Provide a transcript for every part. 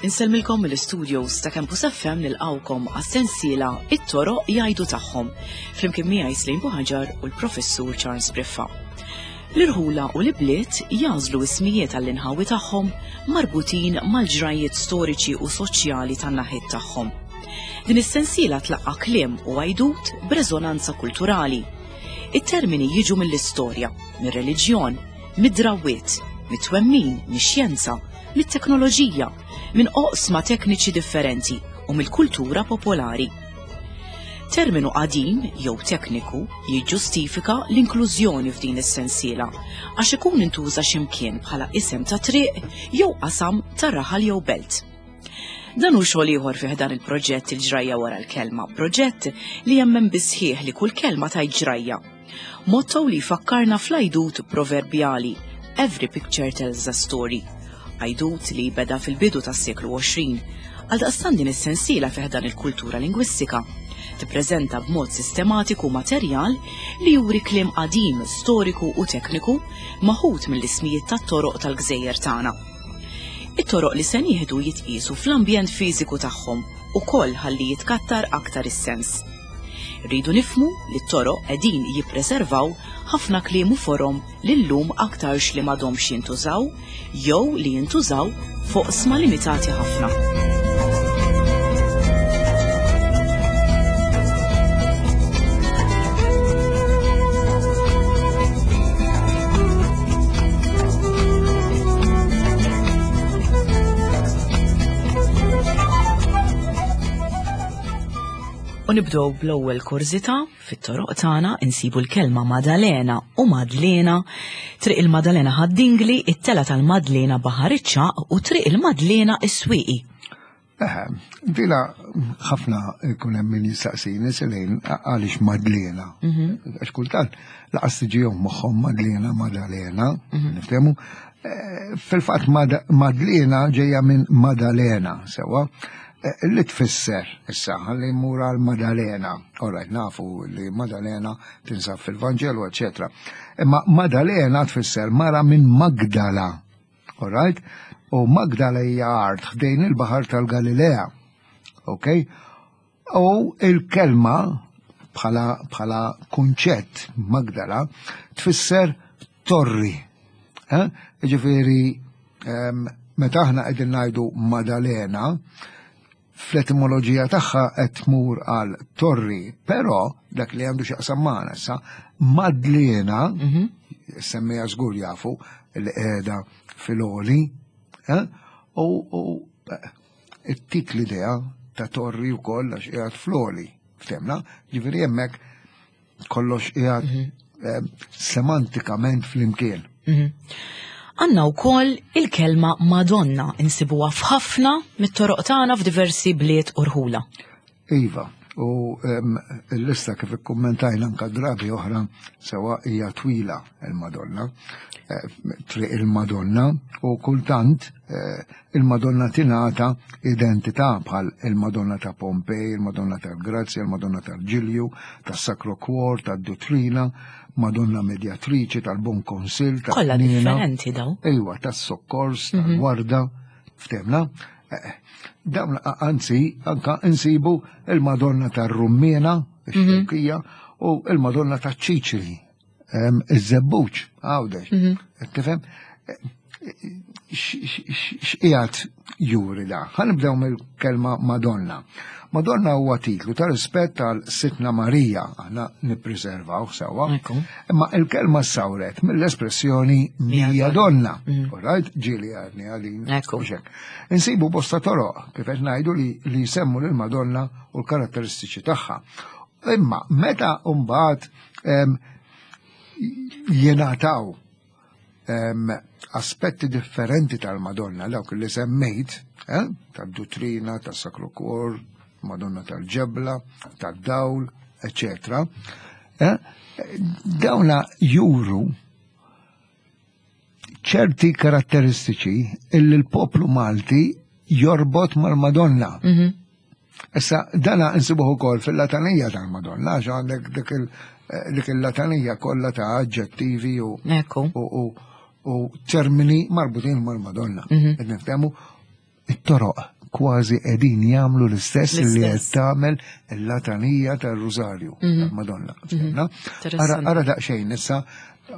Insellmilkom mill-studios ta' Campus FM nilqawkom għas-sensiela It-toroq jgħidu tagħhom flimkien miegħi Slim Buħaġar u l-Professur Charles Briffa. L-irħula u l-ibliet jagħżlu ismijiet għall-inħawi tagħhom marbutin mal-ġrajjiet storiċi u soċjali tan-naħiet tagħhom. Din is-sensiela tlaqqa' kliem u għajdut b'reżonanza kulturali. It-termini jiġu mill-istorja, mir-reliġjon, mid-drawwiet, mit-twemmin, mix-xjenza, mit-teknoloġija, minn oqsma tekniċi differenti u mill-kultura popolari. Terminu qadim jew tekniku jiġġustifika l-inklużjoni f'din is-sensiela għax ikun intuża x'imkien bħala isem ta' triq jew qasam ta' raħal jew belt. Dan hu xogħol ieħor fih dan il-proġett il-ġrajja wara l-kelma, proġett li jemmen bisħieħ li kull kelma tgħid ġrajja. Motto li jfakkarna fl-għajdut proverbjali Every picture tells a story. Għajdut li beda fil-bidu tas-seklu 20. Għaldaqstant din is-sensiela fih dan il-kultura lingwistika tippreżenta b'mod sistematiku materjal li juri kliem qadim, storiku u tekniku maħud mill-ismijiet tat-toroq tal-gżejjer tagħna. It-toroq li se nieħdu jitqiesu fl-ambjent fiżiku tagħhom ukoll ħalli jitkattar aktar is-sens. Irridu nifhmu li t-toroq qegħdin jippreservaw ħafna kliem u forom li llum aktarx li m'għadhomx jintużaw jew li jintużaw f'oqsma limitati ħafna. U nibdew bl-ewwel kurżità fit-toroq tagħna insibu l-kelma Madalena u Madlena, Triq il-Madalena Ħad-Dingli, it-tela tal-Madlena Baħar iċ-Ċagħaq u Triq il-Madlena is-Swieqi. Eħe, dila ħafna ikun hemm min jistaqsini selejn għaliex Madlena. Mhm. Għax kultant laqas tiġihom moħħhom Madlena, Madalena, mhm. niftehmu. Eh, fil-fatt Madlena ġejja minn Madalena, sewa. Eh, li tfisser issa ħalli mmur għal Madalena. Alright, nafu li Madalena tinsab fil-Vanġelu, eċetera. Imma Madalena tfisser mara minn Magdala. Alright? U Magdala hija art ħdejn il-Baħar tal-Galilea. Ok? U il-kelma bħala bħala kunċett Magdala tfisser torri. Eh? Ġifieri ehm, meta aħna qegħdin ngħidu Madalena, fl-etimoloġija tagħha qed tmur għal torri, però dak li għandu x'jaqsam magħna issa, Madlena, mhm. semmija żgur jafu li qiegħda fil-oli, eh? u eh, ittik l-idea ta' torri wkoll għax qiegħed fl-oli, ftemna, ġifieri hemmhekk kollox qiegħed mhm. eh, semantikament flimkien. Mhm. Għanna wkoll il-kelma Madonna insibuha f'ħafna mit-toroq tagħna f'diversi bliet u rħula. Iva, u l-lista kif ikkummentajna anka drabi oħra sewa hija twila il-Madonna, eh, triq il-Madonna u kultant eh, il-Madonna tingħata identità bħal il-Madonna ta' Pompej, il-Madonna tal-Grazzja, il-Madonna tal-Ġilju, tas-Sacro Cuor, tad-Duttrina, Madonna Medjatriċi, tal-Bon Konsil, tal Kollha differenti daw. Ejwa, tas-Sokkors, mhm. tal-Warda, ftemna. Eh, dawn anzi anka insibu il-Madonna tar-Rummiena, ix-Xewkija, mhm. u il-Madonna taċ-Ċiċri, iż-Żebbuġ, għawdex. Mhm. Tifhem? X'qiegħed juri da? Ħanibdew mill-kelma Madonna. Madonna huwa titlu ta' rispett għal Sitna Marija, aħna nippreservaw sewwa. Imma il-kelma sawret mill-espressjoni mija donna. Mm. Alright, ġieli għadni għalin. Insibu bosta toroq kif qed ngħidu li, li jsemmu lil Madonna u l-karatteristiċi tagħha. Imma meta mbagħad jingħataw aspetti differenti tal-Madonna, dawk li semmejt, eh, tad-duttrina, tas-Sakru Kor, Madonna tal-ġebla, tad-dawl, eccetera, eh, dawna juru ċerti karatteristiċi illi l-poplu Malti jorbot mal-Madonna. Mhm. Issa, dana nsibuh ukoll fil-latanija tal-Madonna, għax għandek dik eh, il-latanija kollha ta' aġġettivi u u u termini marbutin mal-Madonna. Mhm. Qed niftehmu it-toroq kważi qegħdin jagħmlu l-istess li qed tagħmel il-latanija tar-Rużarju mhm. tal-Madonna. Mhm. Ara daqsxejn issa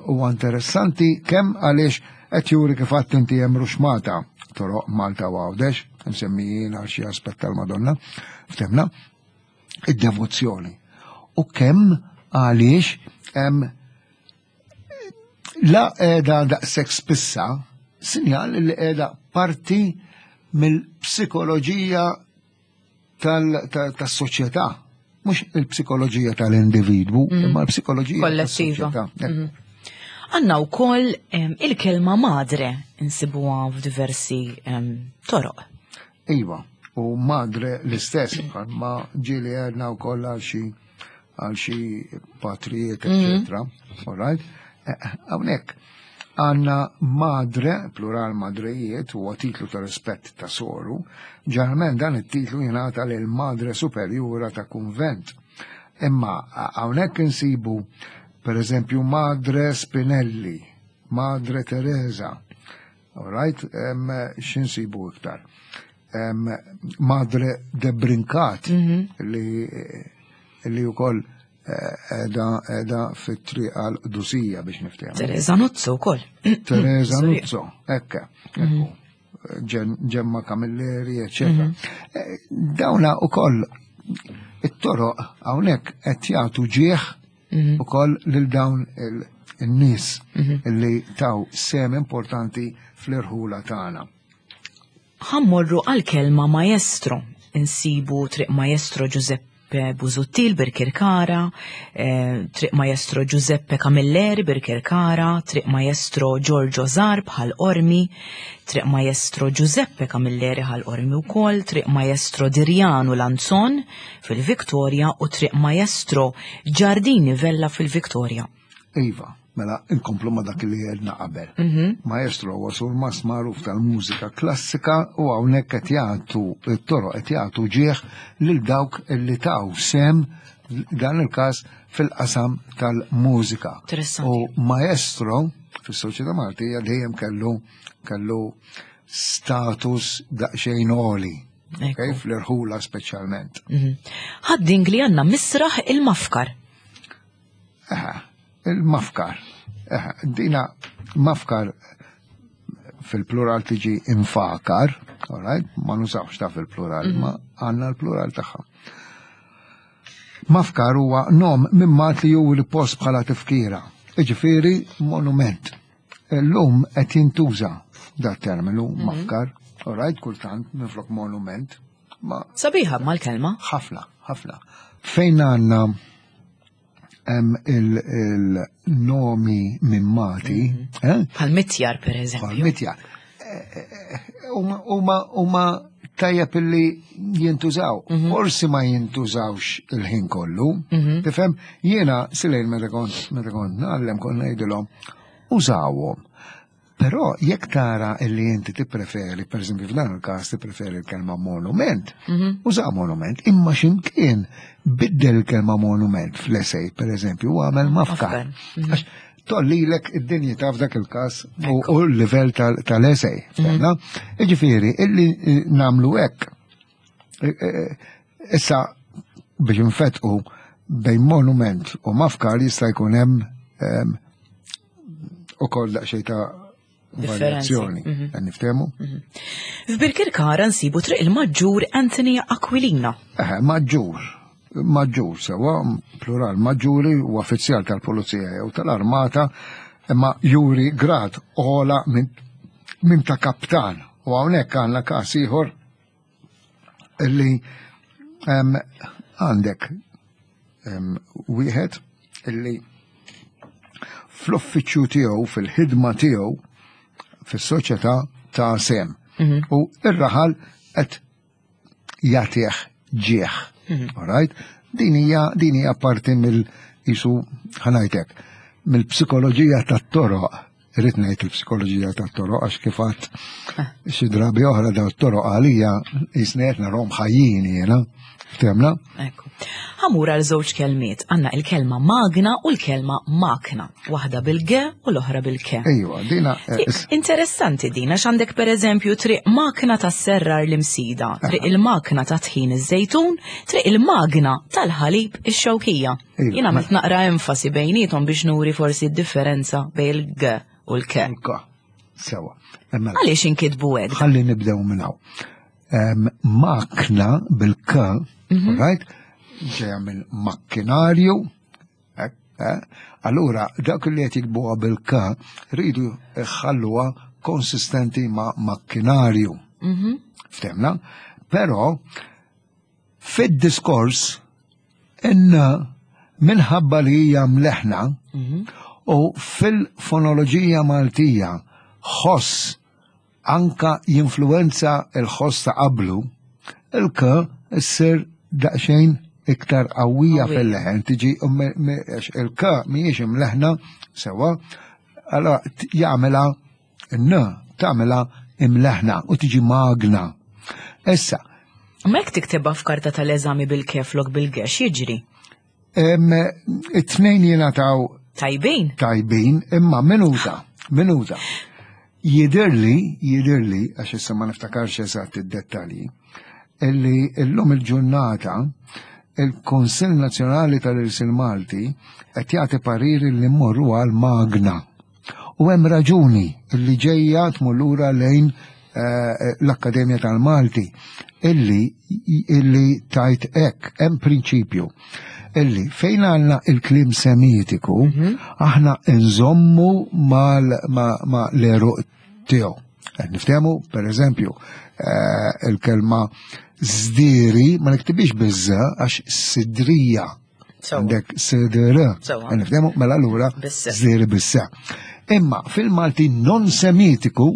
huwa interessanti kemm għaliex qed juri kif għadt inti hemm ruxmata toroq Malta u Għawdex, msemmijin għal xi aspett tal-Madonna, ftemna, id-devozzjoni. U kemm għaliex hemm la qiegħda daqshekk spissa sinjal li qiegħda parti mill-psikoloġija tas-soċjetà. Mhux il-psikoloġija tal-individwu, mm. imma l-psikoloġija kollettiva. Mm-hmm. Għanna wkoll il-kelma madre insibuha f'diversi toroq. Iva, u madre l-istess, ma ġieli għedna wkoll għal xi għal xi patrijiet, mhm. eccetera. All right? Eh, eh, hawnhekk għanna madre, plural madrejiet, huwa titlu ta' rispett ta' soru, ġeneralment dan it-titlu jingħata lil madre superjura ta' kunvent. Imma hawnhekk insibu per eżempju Madre Spinelli, Madre Teresa, all right, x'insibu iktar? Madre de Brincat mhm. li li wkoll eh, edha edha fit-triq għal qdusija biex niftehmu. Teresa Nuzzo wkoll. Teresa Nuzzo, ekka. Mhm. Ġemma Camilleri, eccetera. Mhm. Eh, dawna ukoll it-toroq hawnhekk qed jagħtu ġieħ mhm. ukoll lil dawn il-nies li taw sem importanti fl-irħula tagħna. Ħa mmorru għall-kelma maestro. Insibu Triq Maestro Giuseppe Busuttil Birkirkara, eh, Triq Maestro Giuseppe Camilleri Birkirkara, Triq Maestro Giorgio Zarb Ħal Qormi, Triq Maestro Giuseppe Camilleri Ħal Qormi wkoll, Triq Maestro Dirjanu Lanzon fil-Victoria u Triq Maestro Giardini Vella fil-Victoria. Iva, mela inkomplu ma dak li għedna qabel. Mhm. Maestro huwa surmast magħruf tal-mużika klassika u hawnhekk qed jagħtu it-toroq qed jagħtu ġieħ lil dawk li taw sem dan il-każ fil-qasam tal-mużika. U maestro fis-soċjetà Maltija dejjem kellu kellu status daqsxejn għoli. Okay, fl-irħula speċjalment. Mhm. Ħadding li għandna misraħ il-mafkar. Il-mafkar. Dina mafkar fil-plural tiġi infakar, all right? Ma nużawx ta' fil-plural, mhm. ma għanna l-plural tagħha. Mafkar huwa nom mimmat li juri post bħala tifkira, iġifieri monument. Illum qed jintuża da terminu mhm. mafkar, all right, kultant minflok monument. Ma Sabiħa mal-kelma. Ħafna, ħafna. Fejn għandna hemm il-nomi mimmati. Mhm. Eh? Bħal mitjar per eżempju. Bħal mitjar. Eh, eh, huma tajjeb illi jintużaw. Mhm. Forsi ma jintużawx il-ħin kollu. Mhm. Tifhem, jiena silejn meta kont meta kont ngħallem kont ngħidilhom użawhom. Però jekk tara illi inti tippreferi, per eżempju f'dan il-każ tippreferi l-kelma monument, mhm. uża monument, imma x'imkien biddel il-kelma monument fl-esej, per eżempju, u għamel mafkar. Mhm. Għax tollilek id-dinjità f'dak il-każ u l-livell tal-esej. Mhm. Iġifieri, illi eh, namlu hekk. Eh, eh, issa biex nfetqu bejn monument u mafkar jista' jkun hemm ehm, u koll daqxej ta' varjazzjoni. Mhm. Niftemu? Mhm. F'Birkirkara nsibu triq il-Maġġur Anthony Aquilina. Eh, maġġur. Maġġur, sewa, plural, maġġuri u uffiċjal tal-Pulizija jew tal-Armata, imma juri grad ola minn min ta' kaptan. U hawnhekk għandna każ ieħor illi għandek wieħed illi fl-uffiċċju tiegħu, fil-ħidma tiegħu fis-soċjetà ta' sem. Mhm. U ir-raħal qed jagħtih ġieħ. Mhm. All right? Din hija din hija parti mill jisu ħanajtek mill-psikoloġija tat-toroq. Irrid ngħid il-psikoloġija tat-toroq għax kif għadt xi drabi oħra daw t-toroq għalija jisni qed narhom ħajjin jiena. Ftemna? Ekku. Ħamur għal żewġ kelmiet, għandna il-kelma magna u l-kelma makna, waħda bil-g u l-oħra bil-k. Ejwa, dina. Eh, interessanti dina x'għandek pereżempju triq makna tas serrar l-imsida, triq il-makna ta' tħin iż-żejtun, triq il-magna tal-ħalib ix-xewkija. Jien għamilt naqra enfasi bejnietom biex nuri forsi d-differenza bejn il-g u l-k. K. Sewa. Għaliex inkitbu hekk? Ħalli nibdew minn hawn. Makna bil-k, mhm. right? Ġeja minn makkinarju, eh, eh? Allura, dak li qed jikbuha bil-k rridu jħalluha konsistenti ma' makkinarju. Mhm. Ftemna? Però Fid-diskors, in minħabba li hija mleħna mhm. u fil-fonoloġija Maltija ħoss anka jinfluwenza il-ħoss ta' qablu, il-k issir daqsxejn iktar qawwija fil-leħen, tiġi il-k mhijiex imleħna sewa, allora jagħmilha N tagħmilha imleħna u tiġi magna. Issa. Ma jekk tiktibha f'karta tal-eżami bil-keflok bil-gex jiġri? It-tnejn jingħataw Tajbin. Tajbin, imma minuta, minuta. Jidirli, jidirli, għax issa ma niftakarx eżatt id-dettalji, illi illum il-ġurnata il-Konsil Nazzjonali tal-Irsil Malti qed jagħti pariri li mmorru għal magna. U hemm raġuni li ġejja tmur lura lejn eh, l-Akkademja tal-Malti illi illi tajt hekk hemm prinċipju illi fejn għandna il-klim semitiku mhm. aħna nżommu mal ma l-eruq tiegħu. Niftehmu, per eżempju, eh, il-kelma zdiri ma niktibix biża għax sidrija Għandek SDR. Nifdemu, mela allura żdiri bissa. Imma fil-Malti non semitiku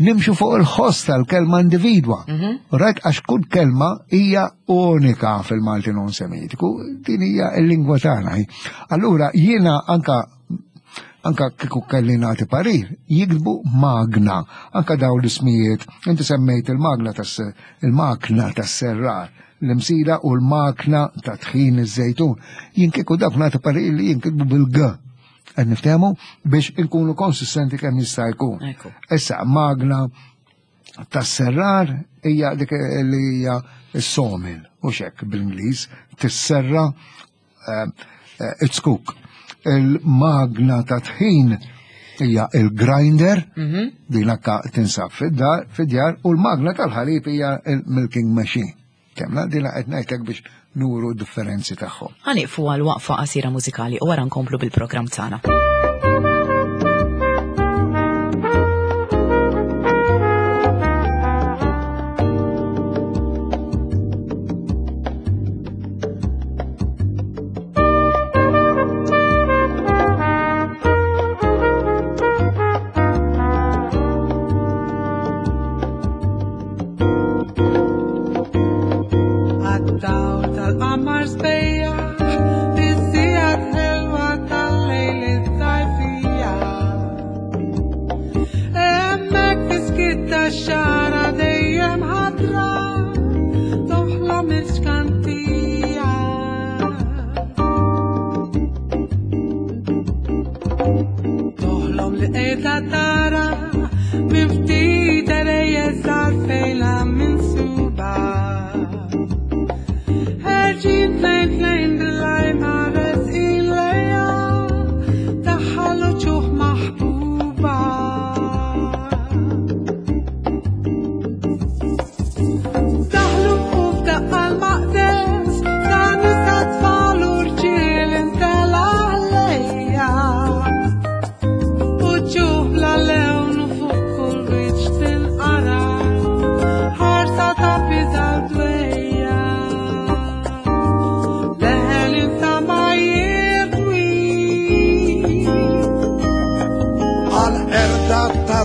nimxu fuq il-ħoss tal-kelma individwa. Mhm. Right, għax kull kelma hija unika fil-Malti non semitiku, din hija l-lingwa tagħna. Allura jiena anka anka kieku kelli nagħti parir, jiktbu magna, anka daw l-ismijiet, inti semmejt il-magna tas il-makna tas-serrar, l-imsida u l-makna ta' tħin iż-żejtun. Jien kieku dak nagħti parir li jinkitbu bil-G. Qed niftehmu biex inkunu konsistenti kemm jista' jkun. Issa magna tas-serrar hija dik li hija s-sawmill u xek bl-Ingliż tisserra eh, eh, it-skuk. Il-magna ta' tħin hija il-grinder, mhm. din akka tinsab fid-djar, u l-magna tal-ħalib hija il-milking machine. Kemna din qed ngħidlek biex nuru differenzi tagħhom. Ħaniqfu għal waqfa qasira mużikali u wara nkomplu bil-programm tagħna.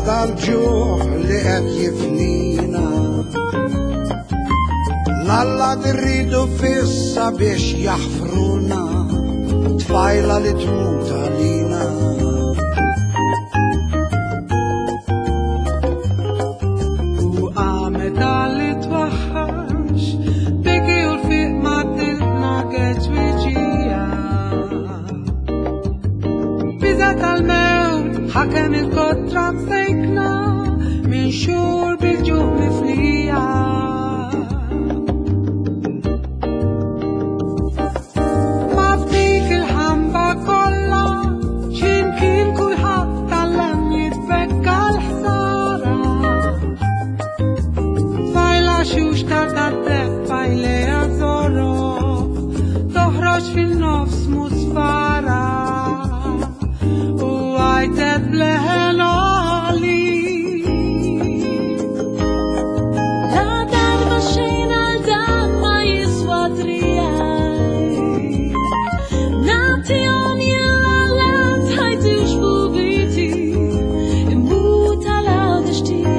Dal-ġuħ li qed jifnina. L-alla rridu fissa biex jaħfruna tfajla li tmut għalina. Il-biża' tal-mewt ħakem il-kotra msejkna minn xhur bil-ġuħ mifnija. Ma f'dik il-ħamba kollha x'imkien kulħadd tgħallem jitbekka l-ħsara. Tfajla xuxta tad-deheb f'għajnejha żoroq, toħroġ fin-nofs musfara u għajtet b'leħen għoli. La darba xejn għal dan ma jiswa trijaj. Nagħtihom jien l-allat ħajti u xbubiti, immut għal Għawdex tiegħi.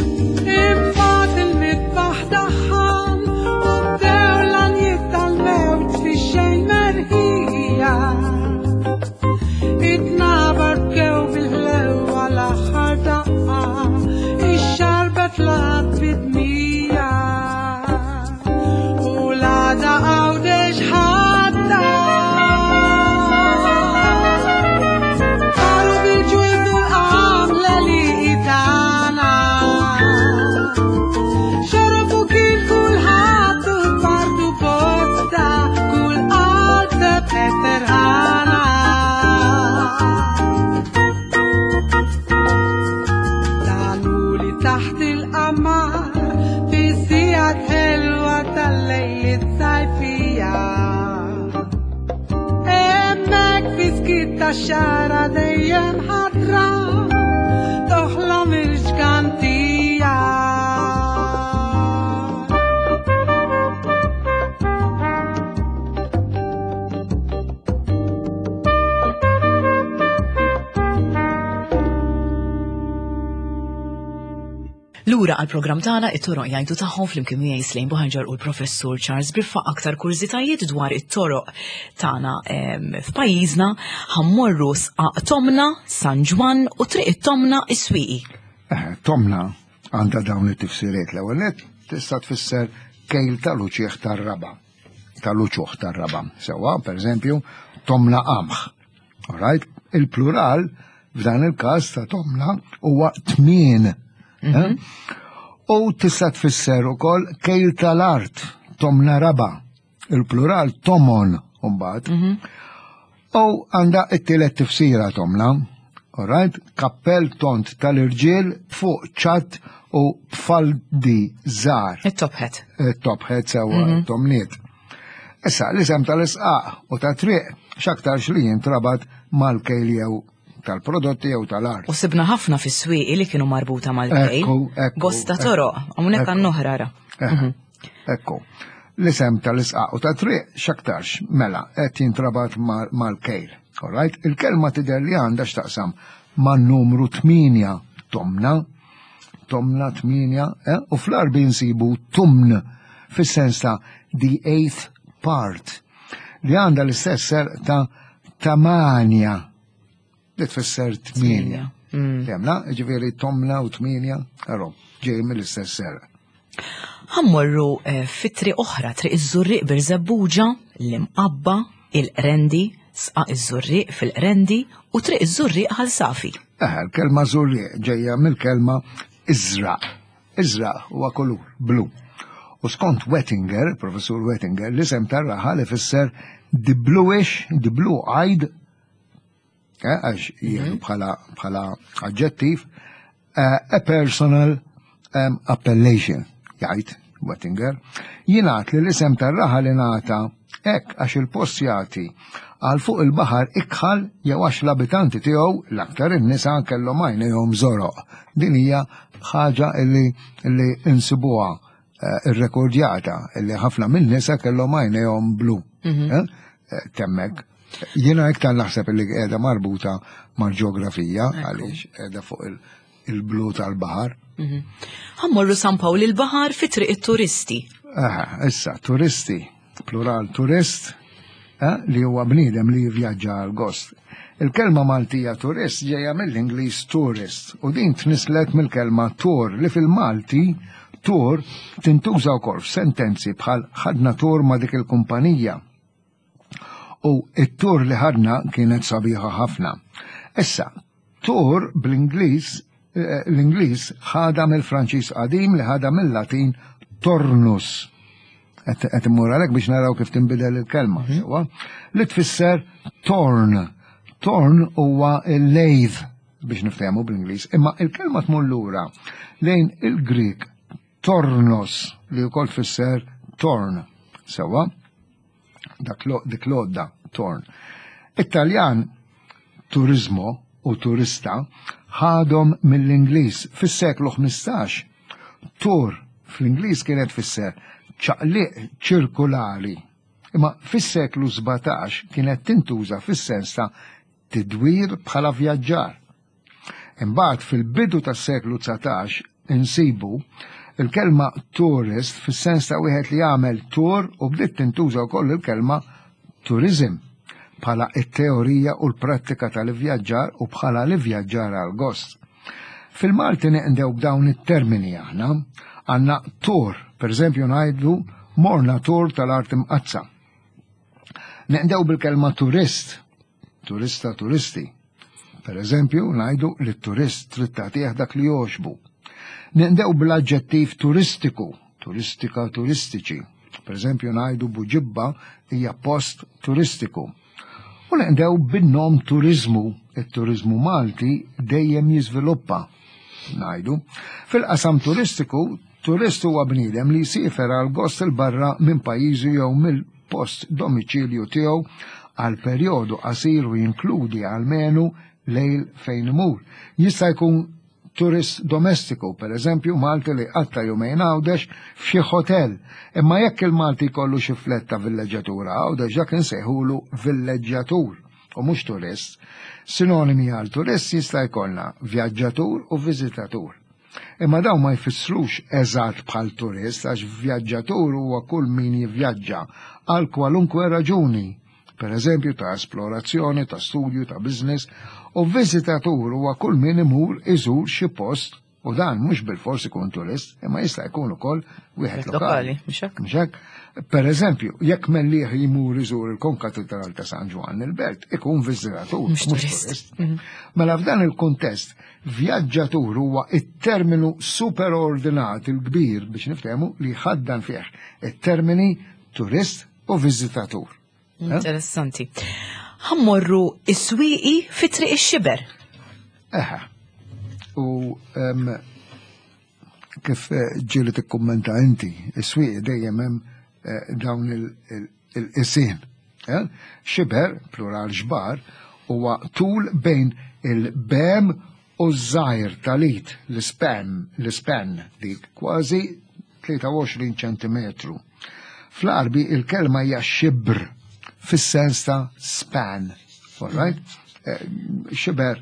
Imbagħad il-midbaħ daħħan u bdew l-għanjiet tal-mewt fix-xejn merħija. It-tnabar bkew bil-ħlewwa l-aħħar daqqa, ix-xarba tlaqat bid-dmija. U l-għada Għawdex ħadda. Taru bil-ġwież u l-qamla li tagħna. Xorob u kien kulħadd u tpartu bosta, kull qalb sebħet ferħana. Dan hu li taħt il-qamar fis-sigħat ħelwa tal-lejliet sajfija. Hemmhekk fi skiet tax-xagħra dejjem ħadra toħlom il-ġgantija. Lura għall-programm tagħna it-toroq jgħidu tagħhom flimkien miegħi Slejn Buħanġar u l-Professur Charles Briffa aktar kurżitajiet dwar it-toroq tagħna f'pajjiżna ħammorru sqaq Tomna, San Ġwann u Triq it-Tomna is-Swieqi. Tomna għandha dawn it-tifsiriet l-ewwel nett tista' tfisser kejl tal-uċieħ tar-raba'. Tal-uċuħ tar-raba'. Sewwa, pereżempju, tomna qamħ. All right? Il-plural f'dan il-każ ta' tomna huwa tmien. Eh? U tista' tfisser ukoll kejl tal-art, tomna raba'. Il-plural tomon mbagħad. U għandha t-tielet tifsira tomna. All right? Kappell tond tal-irġiel fuq ċatt u b'faldi żgħar. It-top hat. It-top hat sewwa tomniet. Issa, l-isem tal-isqaq u ta' triq x'aktarx li jintrabat mal-kejl jew tal-prodotti jew tal-art. U sibna ħafna fis-swieqi li kienu marbuta mal-kejl. Ekku, ekku, Bosta ekku. toroq, hawnhekk Ekku. għandna oħra ra. Ekku. L-isem tal-isqaq u ta' triq x'aktarx mela qed jintrabat mal-kejl. All right? Il-kelma tidher li għandha x'taqsam man-numru 8 tomna, tomna 8, u fl-Għarbi nsibu tumn fis-sens ta' the eighth part li għandha l-istess serq ta' tamanja li tfisser 8. Temna, ġifieri tomna u 8, għarru, ġej mill-istess serq. Ħammorru fi triq oħra, triq iż-Żurrieq Birżebbuġa, l-Imqabba, il-Qrendi, Sqaq iż-Żurrieq fil-Qrendi u triq iż-Żurrieq Ħal Safi. Il-kelma Żurrieq ġejja mill-kelma iżraq. Iżraq huwa kulur blu. U skont Wettinger, professur Wettinger, l-isem tar-raħal ifisser the bluish, the blue-eyed, għax jieħdu bħala aġġettiv, a personal appellation, jgħid Wettinger. Jingħad li l-isem tar-raħal ingħata hekk għax il-post jagħti għal fuq il-baħar ikħal jew għax l-abitanti tiegħu l-aktar in-nisa kellhom għajnejhom żoroq. Din hija ħaġa illi insibuha irrekordjata illi ħafna minn nisa kellhom għajnejhom blu. Temmek. Jiena iktar naħseb illi qiegħda marbuta mal-ġeografija għaliex qiegħda fuq il- il-blu tal-baħar. Mhm. Ħammorru San Pawl il-Baħar fi triq it-turisti. Issa, turisti, plural turist, eh, li huwa bniedem li jivvjaġġa għal gost. Il-kelma Maltija turist ġejja mill-Ingliż tourist u din tnislet mill-kelma tour li fil-Malti tour tintuża wkoll f'sentenzi bħal ħadna tour ma' dik il-kumpanija. U it-tour li ħadna kienet sabiħa ħafna. Issa, tour bl-Ingliż eh, l-Ingliż ħadha mill-Franċiż qadim li ħadha mill-Latin tornus. Qed immur għalhekk biex naraw kif tinbidel il-kelma, mhm. sewwa, li tfisser torn. Torn huwa il-lejð biex niftehmu bl-Ingliż, imma il-kelma tmur lura lejn il-Grik tornos li wkoll tfisser torn. Sewwa, dak dik l-għodda torn. It-Taljan turizmo u turista ħadhom mill-Ingliż fis-seklu 15. Tur fl-Ingliż kienet tfisser ċaqliq ċirkulari, imma fis-seklu 17 kienet tintuża fis-sens ta' tidwir bħala vjaġġar. Imbagħad fil-bidu tas-seklu 19 insibu il-kelma tourist fis-sens ta' wieħed li jagħmel tour u bdiet tintuża wkoll il-kelma tourism bħala it-teorija u l-prattika tal-ivvjaġġar u bħala l-ivvjaġġar għal gost. Fil-Malti neqdew b'dawn it-termini aħna għandna tour, pereżempju ngħidu morna tour tal-art imqazza. Neqdew bil-kelma turist, turista turisti. Per eżempju, ngħidu li t-turist trid tagħtih dak li jogħġbu. Neqdew bl-aġġettiv turistiku, turistika turistiċi. Per eżempju, ngħidu Buġibba hija post turistiku. U neqdew bin-nom turiżmu, it-turiżmu Malti dejjem jiżviluppa. Ngħidu, fil-qasam turistiku, turist huwa bniedem li jsiefer għal gost 'il barra minn pajjiżu jew mill-post domiċilju tiegħu għal perjodu qasir u jinkludi almenu lejl fejn imur. Jista' jkun turist domestiku, per eżempju Malti li jqatta' jumejn Għawdex f'xi ħotel. Imma jekk il-Malti jkollu xi flett ta' villeġġatura Għawdex dak insejħulu villeġġjatur u mhux turist. Sinonimi għal turist jista' jkollna vjaġġatur u viżitatur. Imma dawn ma jfissrux eżatt bħal turist għax vjaġġatur huwa kull min jivvjaġġa għal kwalunkwe raġuni, per eżempju ta' esplorazzjoni, ta' studju, ta' business, u viżitatur huwa kull min imur iżur xi post u dan mhux bilfors ikun turist, imma jista' jkun ukoll wieħed lokali. Mhux hekk? Per eżempju, jekk Mellieħ jmur iżur il-Konkatedral ta' San Ġwann il-Belt, ikun viżitatur, mhux turist. Mhm. Mela f'dan il-kuntest, vjaġġatur huwa it-terminu superordinat il-kbir biex niftehmu li jħaddan fih it-termini turist u viżitatur. Eh? Interessanti. Ħammorru is-swieqi fi triq ix-xiber. Eħe. U kif eh, ġieli tikkummenta inti, is-swieq dejjem hemm eh, dawn il-qisien. Eh? Xiber, plural xbar, huwa tul bejn il-bem u ż-żgħir tal-id, l-ispan, l-ispan dik kważi 23 ċentimetru. Fl-Għarbi il-kelma hija xibr fis-sens ta' span. All right? Xiber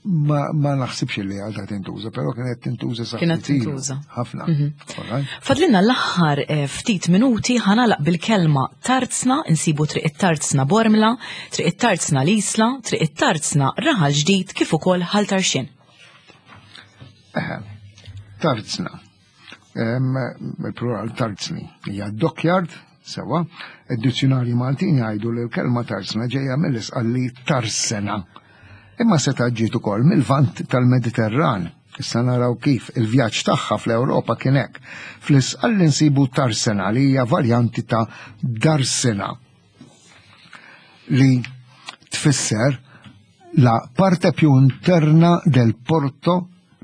Ma, ma naħsibx li għadha tintuża, però kienet tintuża sa' Kienet tintuża. Ħafna. Mhm. Fadlinna l-aħħar eh, ftit minuti ħanalaq bil-kelma tarzna, insibu triq it-tarzna Bormla, triq it-tarzna l-Isla, triq it-tarzna Raħal Ġdid kif ukoll Ħal Tarxien. Tarzna. Il-plural tarzni. Hija dockyard, sewa, id-dizzjonarji Maltin jgħidu li l-kelma tarzna ġejja mill-isqalli tarsena. Imma seta' ġiet ukoll mill-Lvant tal-Mediterran. Issa naraw kif il-vjaġġ tagħha fl-Ewropa kien hekk. Fl-isqalli nsibu tarsena li hija varjanti ta' darsena li tfisser la parte più interna del porto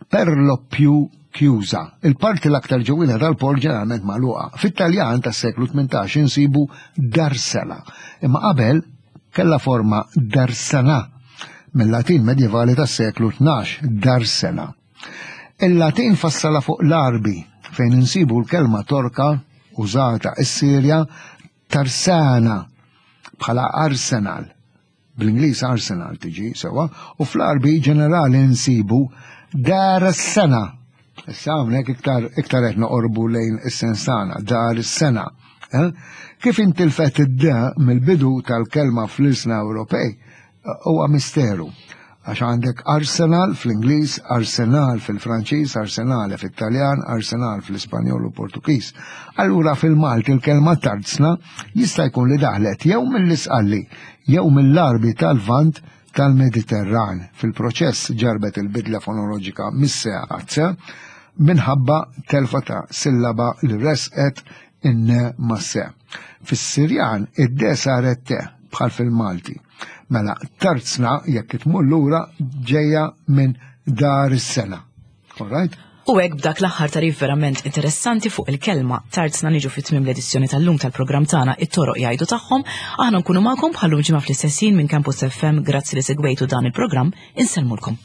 per lo più chiusa. Il-parti l-aktar ġewwina tal-port ġeneralment magħluqa. Fit-Taljan tas-seklu 18 insibu darsela, imma qabel kellha forma darsena mill-Latin medjevali tas-seklu 12, darsena. Il-Latin fassala fuq l-Għarbi fejn insibu l-kelma Torka użata is-Sirja tarsana bħala arsenal. Bl-Ingliż Arsenal tiġi sewwa, u fl-Għarbi ġenerali nsibu dar is-sena. Issa hawnhekk iktar iktar qed noqorbu lejn is-sens tagħna, dar is-sena. Eh? Kif intilfet id-d mill-bidu tal-kelma fl-ilsna Ewropej huwa misteru. Għax għandek Arsenal fl-Ingliż, Arsenal fil-Franċiż, Arsenale fit-Taljan, Arsenal fl-Ispanjol u Portugiż. Allura fil-Malti l-kelma tarzna jista' jkun li daħlet jew mill-Isqalli jew mill-Għarbi tal-Lvant tal-Mediterran. Fil-proċess ġarbet il-bidla fonoloġika mis-se għat-se minħabba telfa ta' sillaba li resqet in-ne mas-se. Fis-Sirjan id-de saret te bħal fil-Malti. Mela, tarzna jekk tmur lura ġejja minn dar is-sena. All right? U hekk b'dak l-aħħar tarif verament interessanti fuq il-kelma tarzna niġu fit tmiem l-edizzjoni tal-lum tal-programm tagħna it-toroq jgħidu tagħhom, aħna nkunu magħkom bħallum ġimgħa fl-istess ħin minn Campus FM grazzi li segwejtu dan il-programm, insellmulkom.